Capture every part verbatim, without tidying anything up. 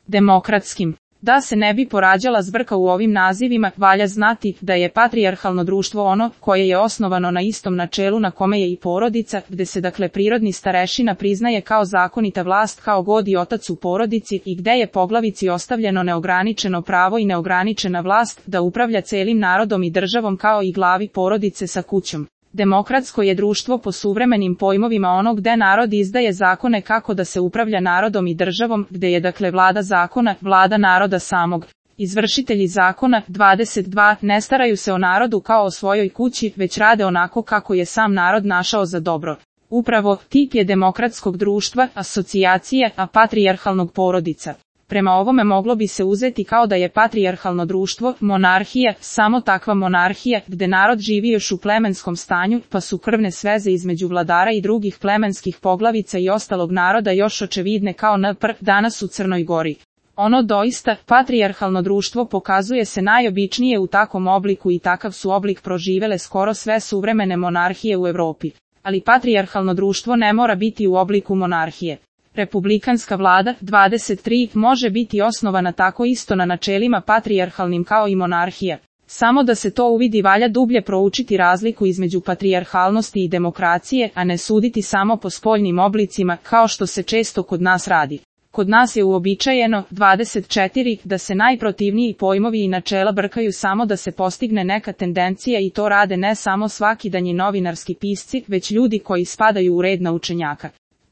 demokratskim. Da se ne bi porađala zbrka u ovim nazivima, valja znati da je patrijarhalno društvo ono koje je osnovano na istom načelu na kome je i porodica, gde se dakle prirodni starešina priznaje kao zakonita vlast kao god i otac u porodici i gde je poglavici ostavljeno neograničeno pravo i neograničena vlast da upravlja celim narodom i državom kao i glavi porodice sa kućom. Demokratsko je društvo po suvremenim pojmovima ono gde narod izdaje zakone kako da se upravlja narodom i državom, gde je dakle vlada zakona, vlada naroda samog. Izvršitelji zakona, dvadeset dva, ne staraju se o narodu kao o svojoj kući, već rade onako kako je sam narod našao za dobro. Upravo, tip je demokratskog društva, asocijacije, a patrijarhalnog porodica. Prema ovome moglo bi se uzeti kao da je patrijarhalno društvo, monarhija, samo takva monarhija, gde narod živi još u plemenskom stanju, pa su krvne sveze između vladara i drugih plemenskih poglavica i ostalog naroda još očevidne kao na pr. danas u Crnoj Gori. Ono doista, patrijarhalno društvo pokazuje se najobičnije u takvom obliku i takav su oblik proživele skoro sve suvremene monarhije u Evropi. Ali patrijarhalno društvo ne mora biti u obliku monarhije. Republikanska vlada, dvadeset tri, može biti osnovana tako isto na načelima patrijarhalnim kao i monarhija. Samo da se to uvidi valja dublje proučiti razliku između patrijarhalnosti i demokracije, a ne suditi samo po spoljnim oblicima, kao što se često kod nas radi. Kod nas je uobičajeno, dvadeset četiri, da se najprotivniji pojmovi i načela brkaju samo da se postigne neka tendencija i to rade ne samo svakidanji novinarski pisci, već ljudi koji spadaju u red naučenjaka.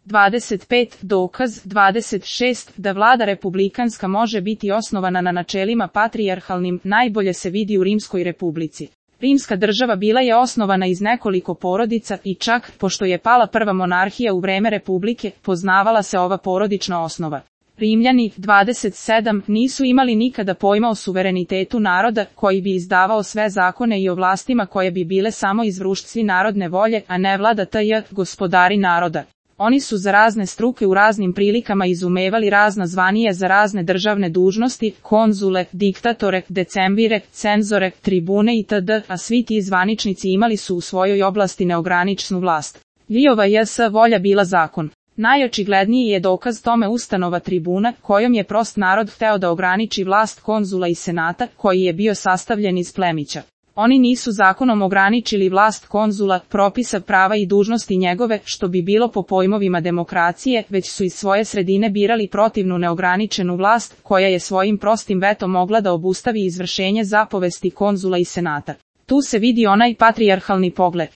dvadeset pet. Dokaz, dvadeset šest. Da vlada republikanska može biti osnovana na načelima patrijarhalnim, najbolje se vidi u Rimskoj republici. Rimska država bila je osnovana iz nekoliko porodica i čak, pošto je pala prva monarhija u vreme republike, poznavala se ova porodična osnova. Rimljani, dvadeset sedam, nisu imali nikada pojma o suverenitetu naroda, koji bi izdavao sve zakone i o vlastima koje bi bile samo izvrušci narodne volje, a ne vlada tj. gospodari naroda. Oni su za razne struke u raznim prilikama izumevali razna zvanija za razne državne dužnosti, konzule, diktatore, decembire, cenzore, tribune itd., a svi ti zvaničnici imali su u svojoj oblasti neograničenu vlast. Njihova je s volja bila zakon. Najočigledniji je dokaz tome ustanova tribuna, kojom je prost narod hteo da ograniči vlast konzula i senata, koji je bio sastavljen iz plemića. Oni nisu zakonom ograničili vlast konzula, propisa prava i dužnosti njegove, što bi bilo po pojmovima demokracije, već su iz svoje sredine birali protivnu neograničenu vlast, koja je svojim prostim vetom mogla da obustavi izvršenje zapovesti konzula i senata. Tu se vidi onaj patrijarhalni pogled.